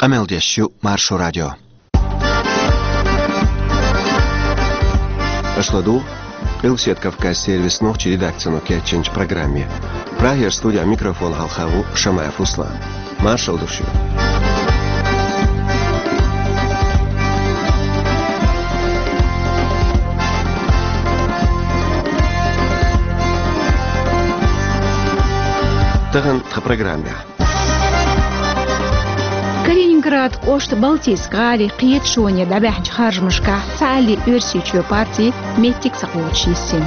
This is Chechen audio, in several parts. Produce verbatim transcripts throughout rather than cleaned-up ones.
Къамел деш ю Маршо радио. Аша ладугӀу Къилбаседа Кавказан сервисан нохчийн редакцино кечйинчу программе. Прагера студехь микрофон хьалха ву Шамаев Руслан. Маршалла ду шуьга. Тахана тхан программехь. Калининград кӀоштан Балтийск-гӀалин кхеташоне дӀабаьхьначу харжамашкахь Цхьааллин Оьрсийчоь партин меттиг ца кхочуш йисина.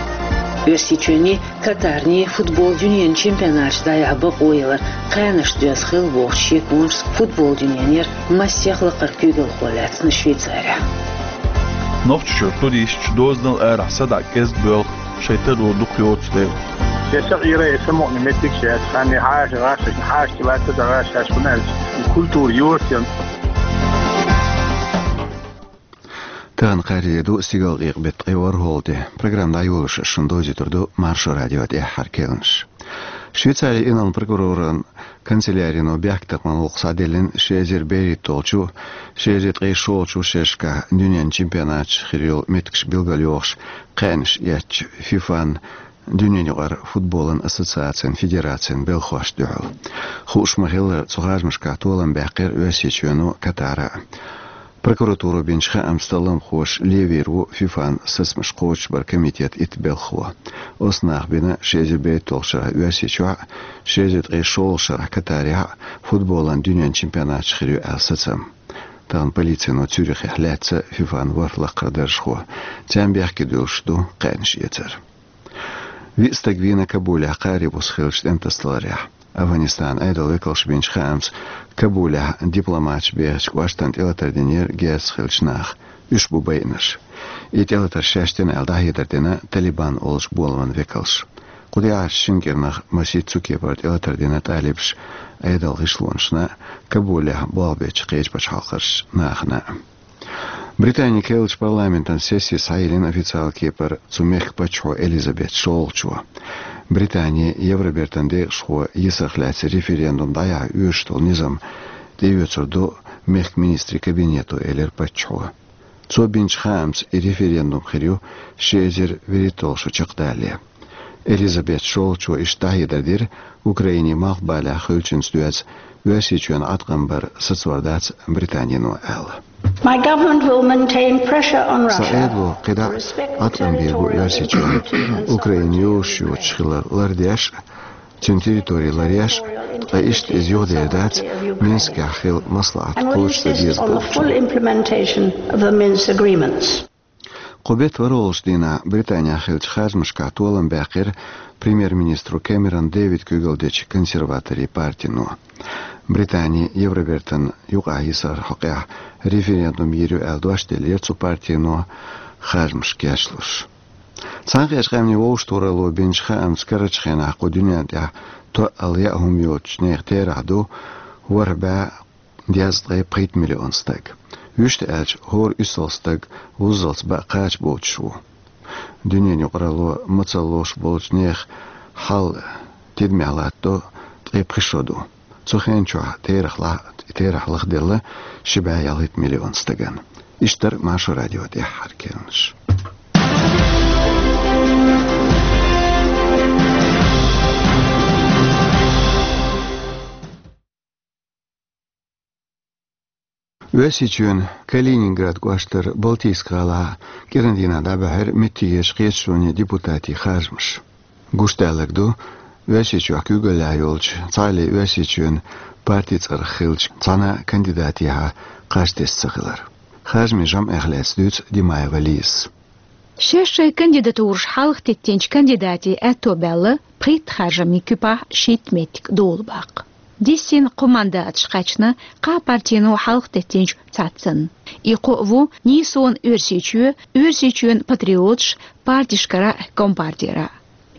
Оьрсийчоьнний, Катарний футбол дуьненан чемпионаташ дӀаяхьа бакъо ялар кхаьнашна доьзна хилла бохучу шеконашца футбол дуьненера массех лакхара куьйгалхо лаьцна Швейцарехь. Нохчийчуьра туристаш дозанал арахь садаӀа кӀезиг боьлху, шайн таро дукха йоцу дела. Я са Ӏийра, я са мукъана меттигаш яц, хан я хьаша гӀаш, шаьш хьаша лаьцна дан гӀаш, шаьш хӀунда аьлча, культура йоцу ян. Тахана кхаарин де ду, стигалкъекъа беттан ткъе ворхӀалгӀа де. Программа дӀайолош ас шуна довзуьйтур ду Маршо радион тӀаьххьара керланаш. Швейцарин инарла прокуроран канцелярино бехктакхаман гӀуллакх схьаделлина ши эзар берхӀитталгӀачу, ши эзар ткъе шолгӀачу шерашкахь дуьненан чемпионаташ хир йолу меттигаш билгалйохуш кхаьнаш эцначу ФИФАн, дуьненан юкъара футболан ассоциацин федерацин белхахошна дуьхьал. Хууш ма-хиллара, цу харжамашкахь толам баьккхира Оьрсийчоьно, Катара а. Прокуратуро бинчу хаамца талламхоша левийр ву ФИФАн сацамаш кхочушбаран комитетан итт белхахо. Оцу наха бина ши эзар берхӀитталгӀачу шарахь Оьрсийчохь а, ши эзар ткъе шолгӀачу шарахь Катарехь а футболан дуьненан чемпионаташ хир ю аьлла сацам. Тахана полицино Цюрихехь лаьцна ФИФАн ворхӀ лакхара даржахо. Царна бехке дуьллуш ду кхаьнаш эцар. Виъ стаг вийна Кабулехь кхари буса хиллачу тӀематасадаларехь. Афганистанан Ӏедалан векалша бинчу хаамца, Кабулехь дипломаташ бехачу кӀоштана тӀелатар динера герзаца хиллачу наха. Уьш бу байинарш. И тӀелатар шаьш дина аьлла дӀахьедар дина Талибан олучу боламан векалша. Кху тӀаьхьарчу шина кӀирнах масийтта цу кепара тӀелатар дина талибаша Ӏедалан гӀишлонашна а, Кабулехь болх бечу кхечу пачхьалкхашкарчу нахана а. Британин керлачу парламентан сесси схьайиллина официалан кепара цу мехкан паччахьо Элизабет шолгӀачо. Британи Евробертан декъашхо йисарх лаьцна референдум дӀаяхьа оьшуш долу низам тӀеоьцур ду мехкан министрийн кабинето, элира паччахьо. Цо бинчу хаамца, и референдум хир ю ши эзар вуьрхӀитталгӀа шо чекхдалале. Элизабет шолгӀачо иштта дӀахьедар дира, Украинин малхбалехь хуьлучуьнца доьзна Оьрсийчоьнан Ӏаткъам бар сацор дац Британино аьлла. My government will maintain pressure on Russia. Сан Ӏедало кхидӀа а Ӏаткъам бийр бу Оьрсийчоьнна, Украина йозуш йоцуш хилар лардеш а, цуьнан территори ларъеш а, ткъа иштта иза юхадер дац Минскехь хилла маслаӀат кхочушдан деза бохучунна. Full implementation of the Minsk agreements. Кху беттан ворхӀалгӀачу дийнахь Британехь хиллачу харжамашкахь толам баьккхира премьер-министро Кэмерон Дэвида куьйгалла дечу консерваторийн партино. Британи Евробертан юкъахь йисаран хьокъехь референдум йийр ю аьлла дош деллера цу партино харжамашка кечлуш. Цхьаьнакхеттачу Къаьмнийн Вовшахтохаралло бинчу хаамца, карарчу хенахь кху дуьненна тӀехь тоъал яа хӀума йоцучу нехан терахь ду ворхӀ бӀе дезткъе пхийтта миллион стаг. Вуьшта аьлча, хӀора уьссалгӀа стаг вуззалц баа кхача боцуш ву. Дуьненан юкъаралло мацалла лоруш болчу нехан хьал тидамехь латтадо ткъе пхи шо ду. Цу хенан чохь терахь ла-, терахь лахделла ши бӀе ялхитта миллион стагана. Иштта дара Маршо радион тӀаьххьара керланаш. Оьрсийчоьнан Калининград кӀоштара Балтийск-гӀалахь кӀиран дийнахь дӀабаьхьира меттигерчу кхеташонийн депутатийн харжамаш. Гуш далларг ду, Оьрсийчохь куьйгаллехь йолчу Цхьааллин Оьрсийчоьнан партин цӀарах хиллачу цхьана а кандидатехьа кхаж тесна ца хилар. Харжамийн жамӀех лаьцна дуьйцу Димаева Лизас. Шаьш шайн кандидатураш хьалха теттинчу кандидатийн аьтто баьлла, пхийтта харжамийн куьпахь шийтта меттиг долу баккха. Дисина кхо мандаташ кхаьчна кхаа партино хьалха теттинчу цхьаццанна. И кхо а ву: «Нийсонан Оьрсийчоь», «Оьрсийчоьнан патриоташ» партишкара а, компартера а.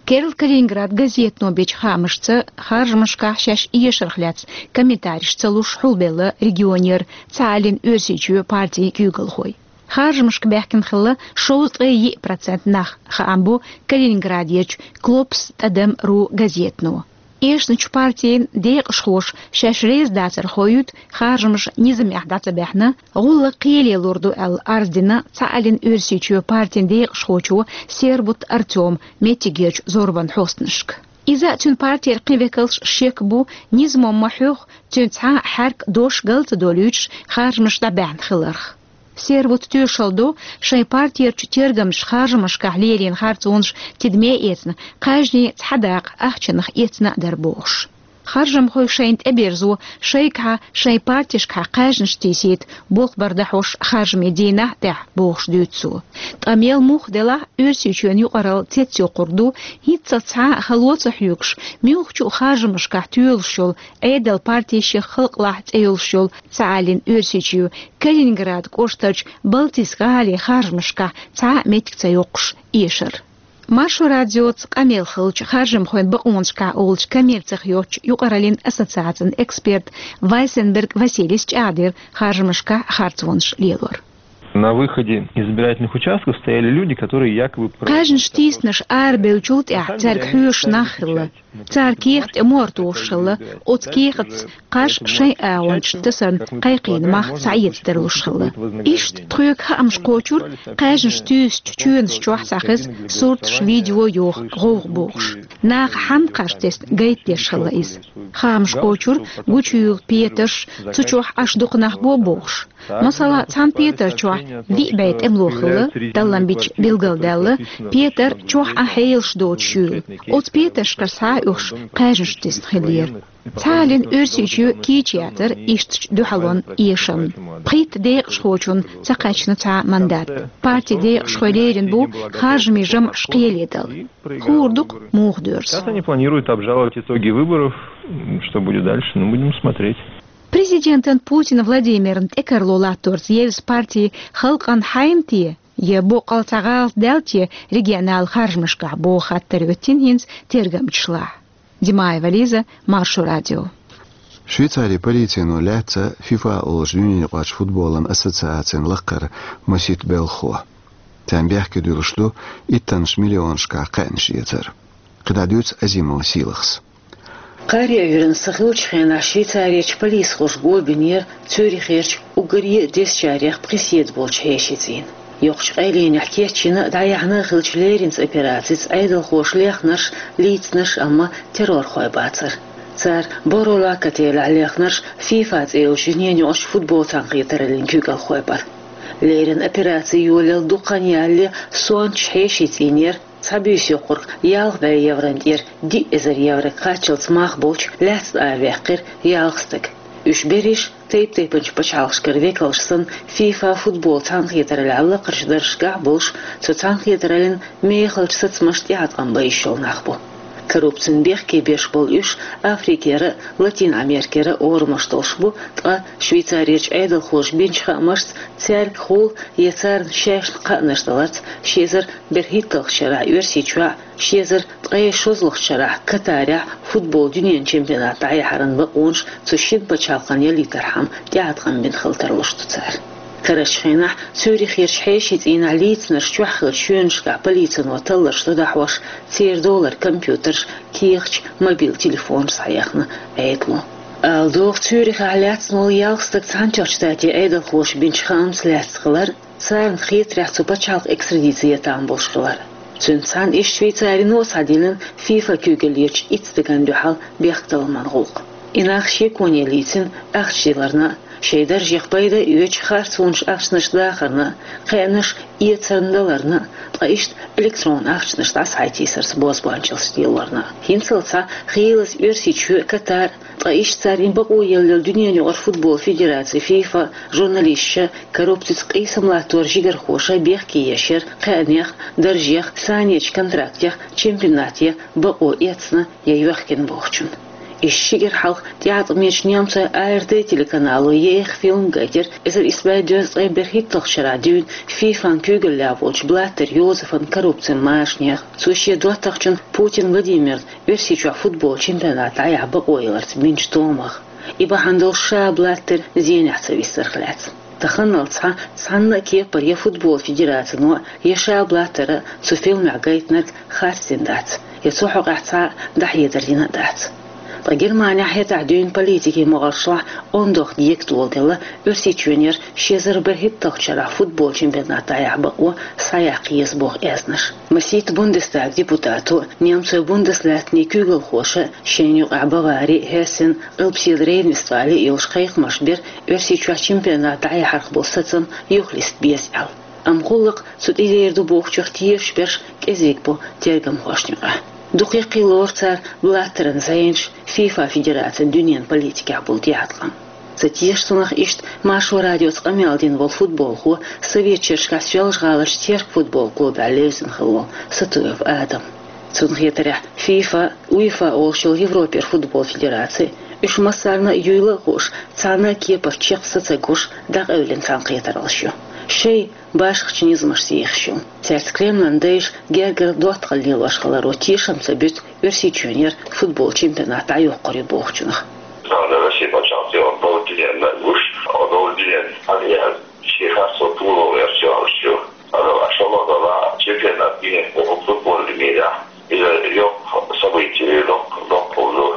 Керла Калининград газетано бечу хаамашца, харжамашкахь шаьш эшарх лаьцна комментареш ца луш хьулбелла регионера «Цхьааллин Оьрсийчоь» партин куьйгалхой. Харжамашка баьхкина хилла шовзткъе йиъ процент нах, хаам бу Калининградерчу «Клопс тӀадам ру» газетано. Эшначу партийн декъашхоша шаьш реза дацар хоуьйту, харжамаш низамехь дӀа ца баьхьна, гӀуллакх кхеле лур ду аьлла арз дина цхьааллин Оьрсийчоь партийн декъашхочо Сербут Артёма меттигерчу зорбан хьостанашка. Иза а, цуьнан партера кхин векалш а шек бу, низамо ма хьоьху, цуьнан цхьа а хьаьрк, дош гал ца долуьйтуш, харжамаш дӀабаьхьна хиларх. Сербут тоьшалла до, шайн партерчу тергамчаша харжамашкахь лелийна харцонаш тидаме а эцна, кхаьжнийн цхьа дакъа ахчанах эцна а дара бохуш. Харжамхой шайна тӀеберзо, шайгахьа, шайн партешкахьа кхаьжнаш тийсийта болх бар дахьош харжамийн дийнахь а тӀехь, бохуш дуьйцу цо. Ткъа мел муха делахь а, Оьрсийчоьнан юкъаралла цецйоккхург ду, хӀинццалц цхьа а хало ца хьоьгуш, муьлххачу а харжамашкахь тоьлуш йолу Ӏедал, парти шех халкъалахь цӀе йолуш йолу цхьааллин Оьрсийчоь Калининград кӀоштарчу Балтийск гӀалин харжамашкахь цхьа а меттиг ца йоккхуш эшар. Маршо радиоца къамел хиллачу харжамхойн бакъонашкахь олучу коммерцих йоцчу юкъараллин ассоциацин эксперт Вайсенберг Василийс чӀагӀдира харжамашкахь харцонаш лелор. На выходе избирательных участков стояли люди, которые якобы... Кхаьжнаш тийсинарш арабевллачул тӀаьхьа цаьрга хьоьжуш нах хилла. Цара кехат тӀе мохь тухуш хилла, оцу кехатца кхаш шайн агӀончашна тасарна кхайкхийна мах схьаэца тарлуш хилла. Иштта тхоьга хаамаш кхочура, кхаьжнаш туьйсучу чоьнаш чохь схьахеза сурташ, видео йоху, гӀовгӀа бохуш. Наха хьанна кхаш тесна гайта деш хилла иза. Хаамаш кхочура, гучуйуьйлу петарш, цу чохь Ӏаш дукха нах го бохуш. Масала, цхьана петар чохь виъ бӀе тӀемало хилла, таллам бича билгалдаьлла, петар чохь Ӏан хьелаш доцуш юьйлу. Оцу петаршкара схьа а оьхуш, кхаьжнаш тесна хиллера. Цхьааллин Оьрсийчоь кийча яцара ишттачу дуьхьалонан эшамна. Пхийтта декъашхочунна ца кхаьчна цхьа а мандат. Партин декъашхой лерина бу харжамийн жамӀаш кхеле дала. Хуур ду-кх муха доьрзу. Сейчас они планируют обжаловать итоги выборов. М, что будет дальше? Ну, будем смотреть. Президентан Путин Владимирна тӀекарло латторца евза парти халкъана хьайна те, я боккъал цхьа гӀалат даьлла те регионал харжамашкахь, боху хаттар хӀоьттина хӀинца тергамчашлахь. Димаева Лиза, Маршо радио. Швейцарин полицино лаьцна ФИФА олучу дуьненаюкъарчу футболан ассоциацин лакхара масийтта белхахо. Царна бехке дуьллуш ду иттаннаш миллионашкахь кхаьънаш эцар. КхидӀа дуьйцу Азимова Сийлахьас. Кхаьрий Ӏуьйранна сан хиллачу хенахь Швейцарерчу полисхоша го бинера Цюрихерчу уггаре а дезачарех пхи седа болчу хьешийн цӀийнан. Йоккхачу къайленехь кечйина а, дӀаяьхьна а хиллачу леринчу операцица Ӏедалхоша лехнарш лийцинарш, амма террорхой бацара. Цара Боро-Лак отелехь лехнарш ФИФА цӀе йолчу дуьненаюкъарчу футбол цхьаьнакхетараллин куьйгалхой бара. Леррина операци йолаелла дукха хан ялале сонташ хьешийн цӀийнан яра, цхьа буьйса йоккхург ялх бӀе еврон тӀера диъ эзар еврога кхаччалц мах болчу лаьцна араваьккхира ялх стаг. Уьш берриш тайп-тайпанчу пачхьалкхашкара векалш санна, ФИФА футбол цхьаьнакхетараллехь лакхарчу даржашкахь а болуш, цу цхьаьнакхетараллин мехалчу сацамашна тӀеӀаткъам бан йиш йолу нах бу. Коррупцина бехке беш болу уьш Африкера а, Латин Америкера а орамаш долуш бу, ткъа Швейцарерчу Ӏедалхоша бинчу хаамашца, цаьргахула я царна шаьшна кхаънаш даларца, ши эзар берхӀитталгӀачу шарахь Оьрсийчохь, ши эзар ткъе шолгӀачу шарахь Катарехь футбол дуьненан чемпионат дӀаяхьаран бакъонаш цу шина пачхьалкхана ялийтархьама тӀеӀаткъам бина хила тарлуш ду цара. Карарчу хенахь Цюрихерчу хьешийн цӀийнахь лийцинарш чохь хиллачу чоьнашкахь полицино талларш дӀадохьуш, церан долара компьютерш, кехаташ, мобил телефонаш схьаяьхна Ӏедало. Ала догӀу, Цюрихехь лаьцна волу ялх стаг Цхьаьнатоьхначу Штатийн Ӏедалхоша бинчу хаамца лаьцна хилар, царна хетарехь цу пачхьалкхе экстрадици ян там болуш хилар. Цуьнца цхьаьна иштта Швейцарино а схьадиллина ФИФА куьйгаллерчу итт стагана дуьхьал бехктакхаман гӀуллакх. И нах шеконе лийцина ахча диларна а, шайн даржех пайда а оьцуш харцонаш ахчанаш дахарна а, кхаьънаш эцарна даларна а, ткъа иштта электронан ахчанаш дӀасахьийсарца бозбуанчаллаш лелорна а. ХӀинццалц схьа Хийлаза Оьрсийчоь а, Катар а, ткъа иштта царна бакъо елла йолу дуьненаюкъара футбол федераци ФИФА журналисташа, коррупцица къийсам латтор жигархоша бехке еш яра кхаьънех, даржех, санечу контрактех чемпионат ян бакъо эцна я йоьхкина бохучун. Иштта ши кӀира хьалха тӀеӀаткъамечу немцойн АРД телеканало еха фильм гайтира эзар исс бӀе дезткъе берхӀитталгӀачу шарахь дуьйна ФИФАн куьйгаллехь волчу Блаттер Йозефан коррупцин машанех. Цо шен доттагӀчун Путин Владимиран Оьрсийчохь футбол чемпионат дӀаяхьа бакъо яларца бинчу томах. И бахьана долуш ша Блаттер зенехь ца виссарх лаьцна. Таханалц схьа цхьанна а кепара я футбол федерацино, я ша Блаттера цу фильмехь гайтинарг харцдина дац, я цу хьокъехь цхьа а дӀахьедар йина а дац. Ткъа Германехь хӀетахь дуьйна политикин могӀаршлахь ондох дегатӀа доладелла Оьрсийчоьнера ши эзар берхӀитталгӀачу шарахь футбол чемпионат дӀаяхьа бакъо схьаяккха еза боху аьзнаш. Масийтта Бундестаг депутато, немцойн Бундеслаьттанийн куьйгалхоша шайна юкъахь Бавари, Хессен, Къилбаседа Рейн-Вестфали йолуш кхайкхамаш бира Оьрсийчохь чемпионат дӀаяхьарх болу сацам юхалиста беза аьлла. Амма гӀуллакх цу тӀе дер ду бохучух тешаш берш кӀезиг бу тергамхошна юкъахь. Дукха яккхий лору цара Блаттеран зӀенаш ФИФА федерацин дуьненан политикехь болу дегӀаткъам. Ца теша цунах иштта Маршо радиоца къамел дина волу футболхо, Советчерчкахь Соьлжа-ГӀаларчу Терк футбол клубехь левзина хилла волу Сатуев Адам. Цунна хетарехь, ФИФА, УЕФА олуш йолу Европера футбол федераци, уьш массарна а юйла а хууш, цхьана а кепара чекх са ца гуш, дӀакъевлина цхьаьнакхетараллаш ю. Шайн башхачу низамашца ехаш ю. Цаьрца Кремлан дайша гергара доттагӀалла лелош хиларо тешам ца буьту Оьрсийчоьнера футбол чемпионат дӀайоккхур ю бохучунах. Цхьана Россия пачхьалкхе одобрение гуш, одобрение ан яр, шен харцо пуло версиялаш ю. Ала шолгӀа дала чемпионат мира, футбольный мира. Иза йоккха событие, йоккха, йоккха ду.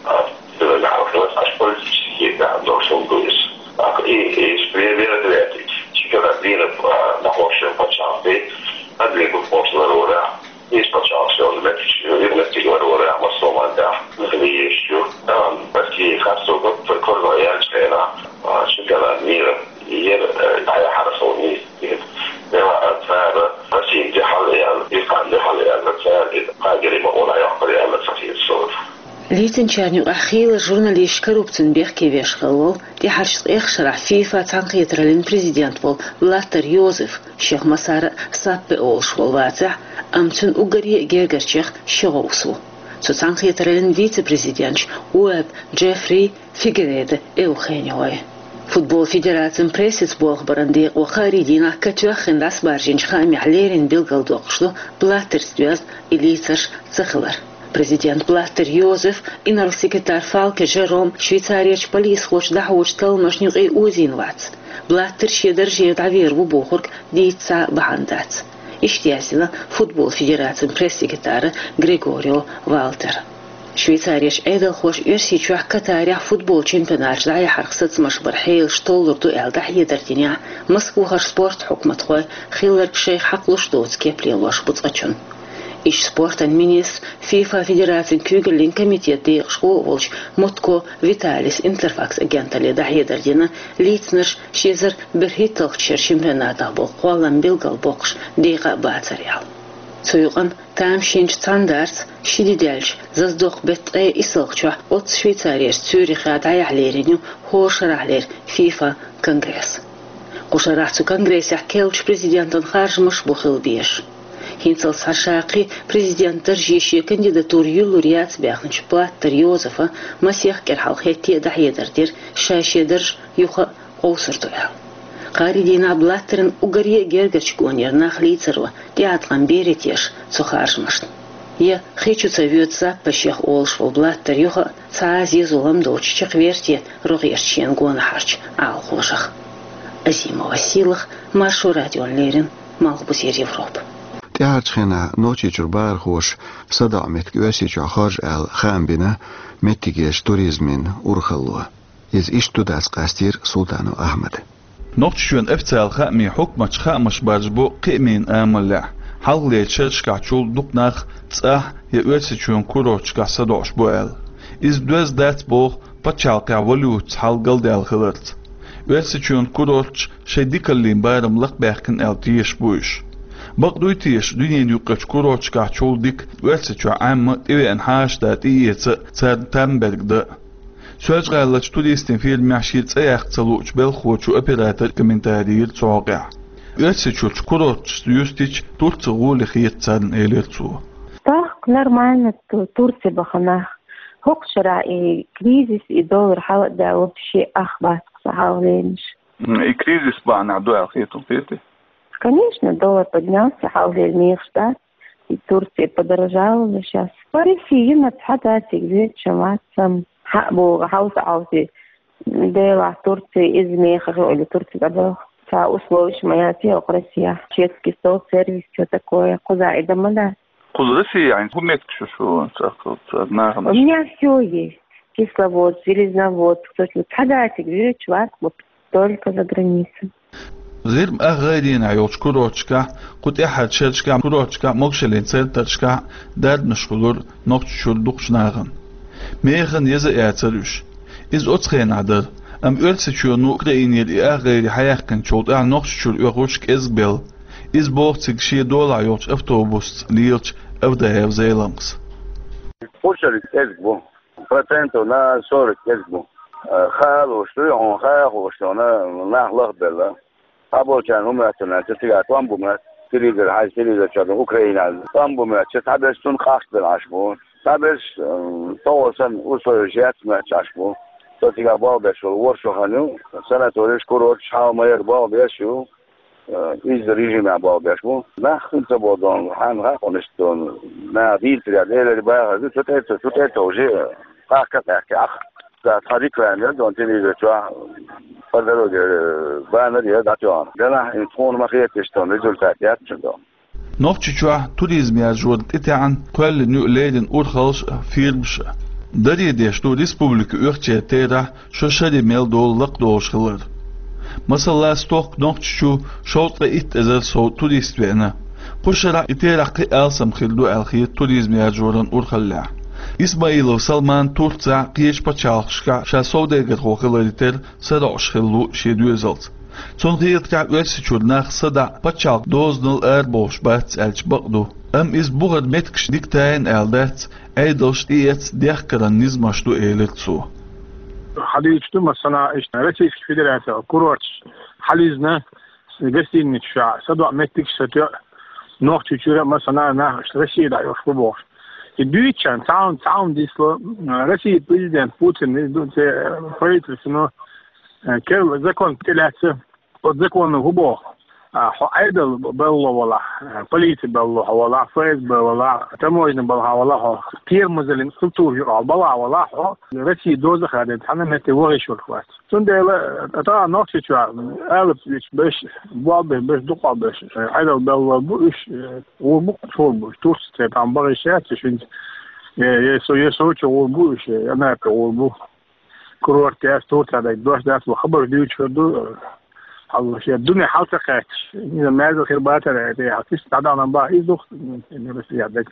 А, иза гӀарахь аш политический гӀарахь долуш ду иза. А, и, и мероприятие, чемпионат мира, а, нахошен пачхьалкхе, а, две год после варора. Есть пачхьалкхе, он меттиг, меттиг варора, а, массо мандах, нахли ещё. Там, Россия, харцо год, корзо янчена, а, чемпионат мира. Ер, э, дӀаяхьара хьуна, дела цара Россин дуьхьал яьлла, ирхъан дуьхьал яьлла, цара и кхагири ма вон айохкар яьлла ца хир сора. Лийцинчарна юкъахь хийла журналисташ коррупцин бехке веш хилла волу, тӀаьхьарчу ткъех шарахь ФИФА цхьаьнакхетараллин президент волу Блаттер Йозеф, шех массара а Саппе олуш волу вацахь, амма цуьнан уггаре а гергарчех ши гӀовс ву. Цу цхьаьнакхетараллин вице-президенташ Уэбб Джеффри, Фигередо Эухенио. Футбол федерацин прессица болх баран декъо кхаарий дийнахь катоьххина дӀасабаржийначу хаамехь леррина билгалдоккхуш ду Блаттерца доьзна и лийцарш ца хилар. Президент Блаттер Йозеф, инарла-секретарь Фалке Жером Швейцарерчу полисхочу дӀахьочу талламашна юкъе озийна вац. Блаттер шен даржера дӀавер ву бохург дийца цхьа а бахьана дац. Иштта яздина футбол федерацин пресс-секретара Грегорио Валтера. Швейцарерчу Ӏедалхоша Оьрсийчохь Катарехь футбол чемпионаташ дӀаяхьарх сацамаш бар хьелаш толлур ду аьлла дӀахьедар динехь, Москвахара спорт хьукматхой хилларг шайх хьакхалуш доцу кеп лелош бу цкъачунна. Иштта спортан министр, ФИФА федерацин куьйгаллин комитет декъашхо а волчу Мутко Виталис Интерфакс агенталле дӀахьедар дина, лийцинарш ши эзар берхӀитталгӀачу шеран чемпионатах болу кхоллам билгалбоккхуш декъа а бацар аьлла. Цу юкъанна тамашийначу цхьаьндарца ши де даьлча, заздоккху беттан ткъе иссалгӀачохь оццу Швейцарерчу Цюрихехь дӀаяхьа лерина ю хӀора шарахьлера ФИФА конгресс. Кху шарахь цу конгрессехь керлачу президентан харжамаш бу хила безаш. ХӀинццалц схьа шаккхий президент дарже шен кандидатура юьллур яц баьхначу Блаттер Йозефа масех кӀира хьалха хӀетте а дӀахьедар дира, ша шен дарж юха а къовсур ду аьлла. Кхаарий дийнахь Блаттеран уггаре а гергарчу гонера нах лийцаро тӀеӀаткъам бере теша цу харжамашна. Я хи чу ца воьду Саппе шех олуш волу Блаттер юха а цхьа а зен-зулам доцуш чекхвер те рогӀерчу шен гонахьарчу Ӏалашонах. Азимова Сийлаха, Маршо радиона леррина, Малхбузера Европа. ТӀаьхьарчу хенахь Нохчийчуьра бахархоша садоӀу меттиг Оьрсийчохь хоржу аьлла хаам бина меттигерчу туризмин урхалло. Иза иштта ду дац къастийра Султанов Ахьмада. Нохчийчоьнан официалан хаамийн хьукматаш хаамаш баржабо кхиамийн амалехь, хьалхалерчу шерашкахьчул дукха нах цӀахь я Оьрсийчоьнан курорташкахь садоӀуш бу аьлла. Иза доьзна дац боху пачхьалкхехь валютаца хьал галдаьлла хиларца. Оьрсийчоьнан курорташ шайн дикаллин барам лакхабаьхкина аьлла тешаш бу уьш. Бакъ дуй теша, дуьненан юккъерчу курорташкахьчул дика Оьрсийчохь Ӏемма тӀевеана хьаша да тӀеэца а, царна там берг дан а? Соьлжа-ГӀаларчу туристийн фирмехь шен цӀе яккха ца луучу белхахочо операторе комментарий йира цу хьокъехь. Оьрсийчуьрчу курорташца юьстича, Турци гӀоли хета царна, элира цо. Так, нормально, Ту-, Турци бахана. ХӀокху шарахь и кризис, и доллар хьала а даьлла, вообще ах бац-кх сан хьалхалернаш. М, и кризис бахьанехь ду аьлла хетий хьуна? Конечно, доллар поднялся, хьалхалера мехаш дац. И Турция подорожала уже щас. По России йина цхьа дациг веча вацам. Хьа боху, хьовса-хьовсий. Делахь Турция иза мехах или Турция дӀадоху. Цхьа условиш ма яц хӀокху Россияхь. Чешский стол, сервис, чё такое? Кхузахь и дан ма дац. Кхуза Россия, хӀун меттигаш ю шун цӀаккха, цӀаккха нахана? У меня всё есть. Кисловодск, Железноводск, точно. Цхьа датиг вирич варх, вот только за границей. ГӀирма ах гӀайренахь йолчу курорташкахь, кху тӀаьххьарчу шерашкахь курорташкахь, могашаллин центрашкахь дарбанаш хуьлура Нохчийчуьра дукхачу нахана. Механа еза а яцара уьш. Иза оцу хенахь дара, амма Оьрсийчоьно Украинера и ах гӀайре хьаяьккхинчул тӀаьхьа Нохчийчуьра оьхуш кӀезгбелла. Иза боху цига шен долахь йолчу автобусца лелачу Авдаев Зеламхас. Кхушара кӀезиг бу. Процентов на сорок кӀезиг бу. Э, хаа лууш дуй хьуна, хаа хууш дуй хьуна, нах лахбелла. Цхьаболчарна хӀун моьтту аьлча, цигахь тӀом бу моьтту, телевизор хьаьжча, телевизор чохь ду Украина аьлла. ТӀом бу моьтту, цхьаберш цунна къахьоьгӀна Ӏаш бу. Цхьаберш, э, тӀехула санна условия яц моьттуш Ӏаш бу. Со цигахь болх беш волу ворхӀ шо хан ю, санаторийш, курорташ, хьал ма яра болх беш ю. Э, иза режимехь болх беш бу. Нах хӀунда ца бо дона, хьан хаа хьуна иштта дона? Наха дийцарехь, элира бахар ду, цу тӀе а ца, цу тӀе а ца, уже, э, къахка а къаьхкина ахь. Цхьа реклама яра дона телевизор чохь, по дороге, э, баннер яра дӀатоьхна. Делахь, хӀинца тхуна ма хета иштта дона, результат яц цуьнан дона. Нохчийчохь туризм яржорна тӀетаьӀна кхоьллина ю леррина урхаллаш а, фирмаш а. Даре деш ду республика оьхучеран терахь шо шаре мел долу лакхадолуш хилар. Масала, стохка Нохчийчу шовзткъе итт эзар сов турист веана. Кхушара и терахь кхин а алсам хир ду аьлла хета туризм яржоран урхаллехь. Исмаилов Салман Турцехь, кхечу пачхьалкхашкахь ша совдегархо хиларе терра сароӀуш хилла ву шен доьзалца. Цунна хетарехь, Оьрсийчуьра нах садаӀа пачхьалкх дозанал арабовлуш бац аьлча бакъ ду. Амма иза бухара меттигаш дика тайна аьлла дац, Ӏедалш тӀеэцна дехкаран низамаш ду, элира цо. Хьадуьйцуш ду, масала, иштта Российский Федерацин курорташ хьализна, гостиницаш чохь садоӀу меттигаш сатоьу, Нохчийчуьра, масала, нах иштта Россия дӀа йолуш бу бохуш. И дуьйцучарна цхьа хӀума, цхьа хӀума дисло, Россия президент Путин, иза ду, церан правительствано, э, керла закон тӀелаьцна, оцу законо хӀун боху? А, хьо Ӏедал белло валахь, а, полици белло хьо валахь, ФСБ валахь, таможня балхахь валахь хьо, кхерамазаллин структура юкъахь балхахь валахь хьо, Россия доза а хадийна, цхьана а метте вахийта йиш йолуш вац. Цундела, а, тахана Нохчийчохь алапа вича берш, болх беш берш, дукхахберш, а, Ӏедал белло бу уьш, а, гӀур бу, чур бу уьш, Турци церан тахана бахийта йиш яц уьш хӀинца, я, я со, я Сочи гӀур бу уьш, я Анапе гӀур бу. Курорт яц, Турция дайта дош дац, вай хабар дуьйцуш хир ду, хьалха шен дуьне хьал ца кхаьчча, иза маьрза хир бацара, тӀе хьалха иштта дӀадахана бахьа иза ду, я даг.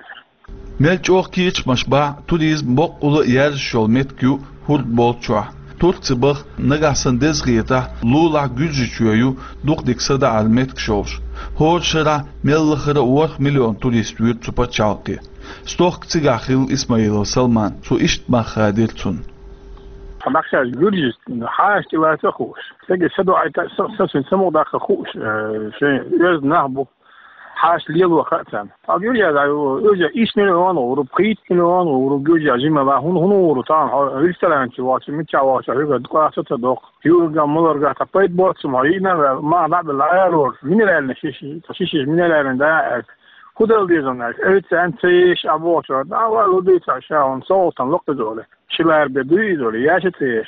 Мел чӀогӀа кечамаш бахь, туризм боккъала а яржаш йолу меттиг ю хӀорд болчохь. Турци баха, нагахь санна деза хетахь, лулахь Гуьржийчоь ю дукха дика садаӀаран меттигаш йолуш. ХӀора шарахь мел лахара а ворхӀ миллион турист вуьйр цу пачхьалкхе. Стохка цигахь хилла Исмаилов Салман, цо иштта мах хадийра цунна. Хьан бахчаш гуьржист хьаша тӀелаца а хууш. Цига са доӀайта, са, са суьн самукъа даккха хууш, э, шайн оьзда нах бу. Хьаша лело хаа царна. Ткъа гуьржа, уьш иш миллион гӀур бу, пхийтта миллион гӀур бу гуьржа жимала, хӀун, хӀун гӀур бу тахана хьо ресторан чу вахча, мичча вахча, хьуьга дукъа а ца доккху. Юурга, маларга, тӀаккха пайда боццу ма, йина ваьлла, ма дӀа а белла, аьрру, минеральный шиши, шишиш минеральный да аьлла. ХӀун дала деза аьлча, оьцу цӀен ца еш а бохучо, дӀа а ваьлла, хӀун дуьйцу ша, хӀун совгӀатан локх иза оле. Ши лар бе дуй иза оле, яша ца еш.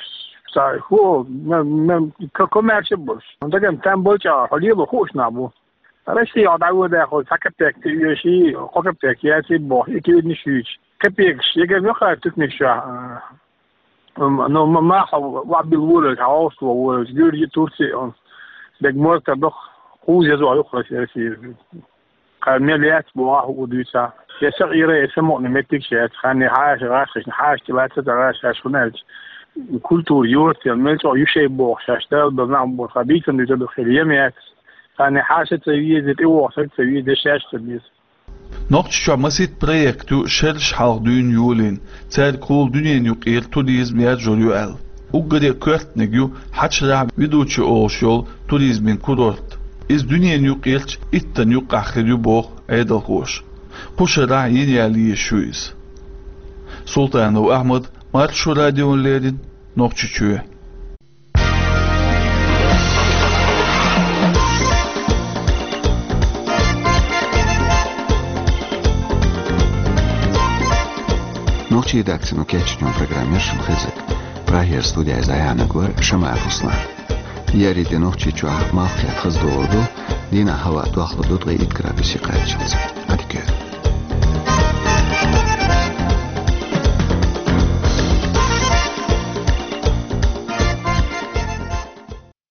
Ца, хӀу, ма, ма, ка-, коммерчи болуш. Даган там болча, хьо лело хууш нах бу. Россия дӀавоьдахь, хьо цхьа капек ца оьший, кхо капек яций боху, и куьйранаш юьйцу. Капекаш, егар муьлхха туькнаш чохь, а, М, ну, м-, ма хьо вабил волавелча, хьо Австро волавелча, Гуьржи, Турци, он, дерг морта дох, кхуза езо юкъа Россия. Кхара мел яц боху, хӀу дуьйцахь. Я сакъира, я самукъана меттигаш яц. Ханне хьаша, гӀаш, хьаша тӀелаца ца гӀаш, шаьш хӀун аьлча. Культура йоцу, я мел чӀогӀа ю шай боху, шаьш дала бала нах боху, ха бийцан дуьйцу, дукха хила ем яц. Ханне хьаша ца веза, тӀе воху саг ца веза, шаьш ца веза. Нохчийчохь масийтта проект ю шераш хьалха дуьйна йолийна, цаьргахула дуьненан юкъера туризм яржор ю аьлла. Уггаре а коьртаниг ю Хьачарахь Ведучи олуш йолу туризмин курорт. Иза дуьненан юкъерчу иттанна юккъехь хир ю боху Ӏедалхоша. Кхушарахь йина яьлла езаш ю иза. Султанов Ахьмад, Маршо радиона леррина, Нохчийчоь. Нохчийн редакцино кечйинчу программе шуна хезира. Прагера студехь иза Ӏаянарг вара Шамаев Руслан. Еарин де Нохчийчохь малх кхетта хаза догӀур ду, дийнахь хӀаваъ дохлур ду ткъе итт градусе кхаччалц. Ӏадика йойла.